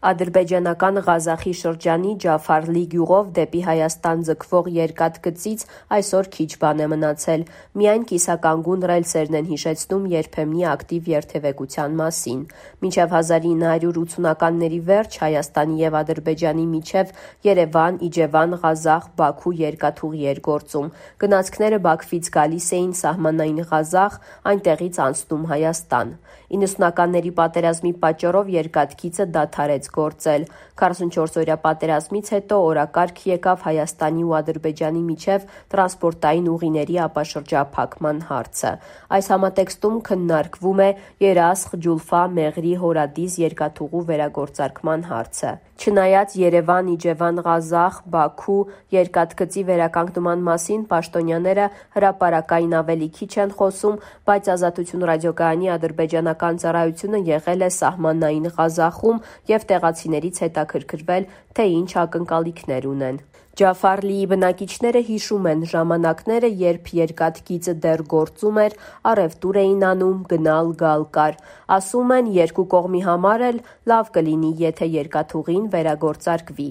Ադրբեջանական Ղազախի շրջանի Ջաֆարլի գյուղով դեպի Հայաստան ձգվող երկաթգծից այսօր քիչ բան է մնացել, միայն կիսականգուն ռելսերն են հիշեցնում երբեմնի ակտիվ երթևեկության մասին։ Մինչև 1980-ականների վերջ Հայաստանի և Ադրբեջանի միջև Երևան, Իջևան, Ղազախ, Բաքու երկաթուղի էր գործում։ Գնացքները Բաքվից գալիս էին սահմանային Ղազախ, այնտեղից անցնում Հայաստան։ 90-ականների պատերազմի պատճառով երկաթգիծը դադարեց գործել։ 44-օրյա պատերազմից հետո օրակարգ եկավ Հայաստանի ու Ադրբեջանի միջև տրանսպորտային ուղիների ապաշրջափակման հարցը։ Այս համատեքստում քննարկվում է Երասխ-Ջուլֆա-Մեղրի Հորադիս երկաթուղու վերագործարկման հարցը։ Չնայած Երևան, Իջևան, Ղազախ, Բաքու երկաթգծի վերականգնման մասին պաշտոնյաները հրապարակային ավելի քիչ են խոսում, բայց Ազատություն ռադիոկայանի ադրբեջանական ծառայությունը եղել է սահմանային Ղազախում և տեղացիներից հետաքրքրվել, թե ինչ ակնկալիքներ ունեն։ Ջաֆարլիի բնակիչները հիշում են ժամանակները, երբ երկաթգիծը դեռ գործում էր, առևտուր էին անում, գնալ-գալ կար։ Ասում են, երկու կողմի համար էլ լավ կլինի, եթե երկաթուղին վերագործարկվի։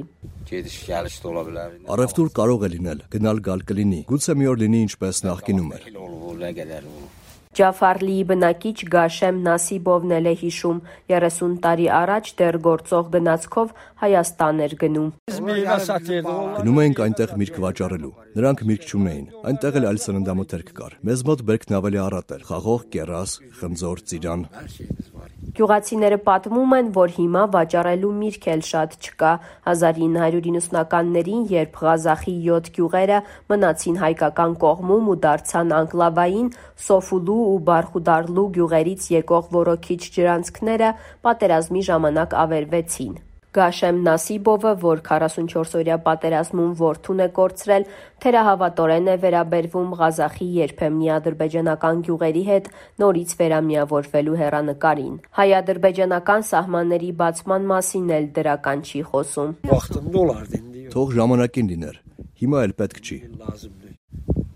Առևտուր կարող է լինել, գնալ-գալ կլինի, գուցե մի օր լինի ինչպես նախկինում էր։ Ջաֆարլիի բնակիչ Գաշեմ Նասիբովն էլ է հիշում, 30 տարի առաջ դեռ գործող գնացքով Հայաստան էր գնում։ Գնում էինք այնտեղ միրգ վաճառելու։ Նրանք միրգ չունեին, այնտեղ էլ այլ սննդամթերք կար։ Մեզ մոտ բերքն ավելի առատ էր՝ խաղող, կեռաս, խնձոր, ծիրան։ Գյուղացիները պատմում են, որ հիմա վաճառելու միրգ էլ շատ չկա։ 1990-ականներին, երբ Ղազախի 7 գյուղերը մնացին հայկական կողմում ու դարձան անկլավային, Սոֆուլու ու Բարխուդարլու գյուղերից եկող ոռոգիչ ջրանցքները պատերազմի ժամանակ ավերվեցին։ Գաշեմ Նասիբովը, որ 44-օրյա պատերազմում որդուն է կորցրել, թերահավատորեն է վերաբերվում Ղազախի երբեմնի ադրբեջանական գյուղերի հետ նորից վերամիավորվելու հեռանկարին։ Հայ-ադրբեջանական սահմանների բացման մասին էլ դրական չի խոսում։ Թող ժամանակին լիներ, հիմա էլ պետք չի։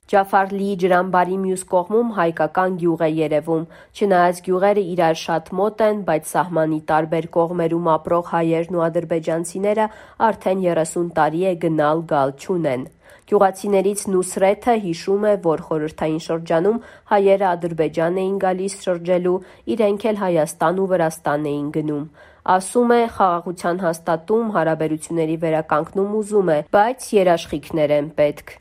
Ջաֆարլիի ջրամբարի մյուս կողմում հայկական գյուղ է երևում։ Չնայած գյուղերը իրար շատ մոտ են, բայց սահմանի տարբեր կողմերում ապրող հայերն ու ադրբեջանցիները արդեն 30 տարի է գնալ-գալ չունեն։ Գյուղացիներից Նուսրեթը հիշում է, որ խորհրդային շրջանում հայերը Ադրբեջան էին գալիս շրջելու, իրենք էլ Հայաստան ու Վրաստան էին գնում։ Ասում է, խաղաղության հաստատում, հարաբերությունների վերականգնում ուզում է, բայց երաշխիքներ են պետք։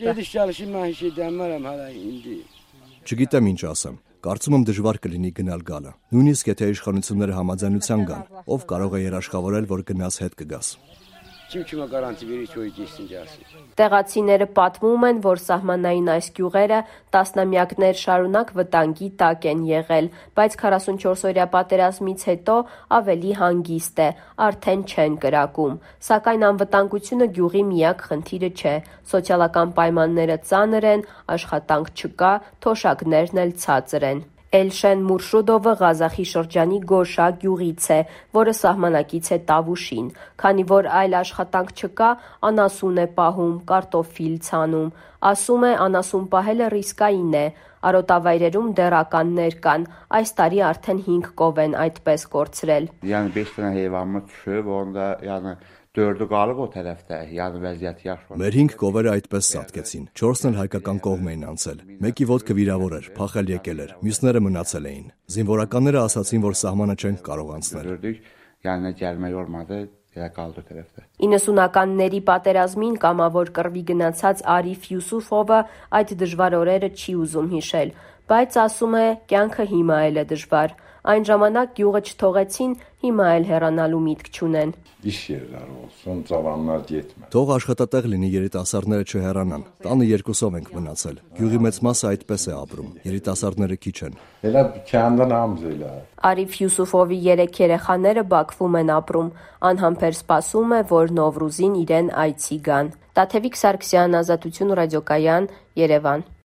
Չգիտեմ ինչ ասեմ։ Կարծում եմ դժվար կլինի գնալ-գալը։ Նույնիսկ եթե իշխանությունները համաձայնության գան, ով կարող է երաշխավորել, որ գնաս հետ կգաս։ Տեղացիները պատմում են, որ սահմանային այս գյուղերը տասնամյակներ շարունակ վտանգի տակ են եղել, բայց 44-օրյա պատերազմից հետո ավելի հանգիստ է, արդեն չեն կրակում։ Սակայն անվտանգությունը գյուղի միակ խնդիրը չէ։ Սոցիալական պայմանները ծանր են, աշխատանք չկա, թոշակներն էլ ցածր են։ Էլշեն Մուրշուդովը Ղազախի շրջանի Գոշա գյուղից է, որը սահմանակից է Տավուշին։ Քանի որ այլ աշխատանք չկա, անասուն է պահում, կարտոֆիլ ցանում։ Ասում է, անասուն պահելը ռիսկային է։ Արոտավայրերում դեռ ականներ կան։ Այս տարի արդեն 5 կով են այդպես կորցրել։ Մեր 5 կովերը այդպես սատկեցին, 4-ն էլ հայկական կողմ էին անցել։ Մեկի ոտքը վիրավոր էր, փախել եկել էր, մյուսները մնացել էին։ Զինվորականները ասացին, որ սահմանը չենք կարող անցնել։ 90-ականների պատերազմին կամավոր կռվի գնացած Արիֆ Յուսուֆովը այդ դժվար օրերը չի ուզում հիշել, բայց ասում է, կյանքը հիմա էլ է դժվար։ Այն ժամանակ գյուղը չթողեցին, հիմա էլ հեռանալու միտք չունեն։ Թող աշխատատեղ լինի, երիտասարդները չհեռանան։ Տանը 2-ով ենք մնացել։ Գյուղի մեծ մասը այդպես է ապրում։ Երիտասարդները քիչ են։ Արիֆ Յուսուֆովի 3 երեխաները Բաքվում են ապրում։ Անհամբեր սպասում է, որ Նովրուզին իրեն այցի գան։ Տաթևիկ Սարգսյան, Ազատություն ռադիոկայան, Երևան։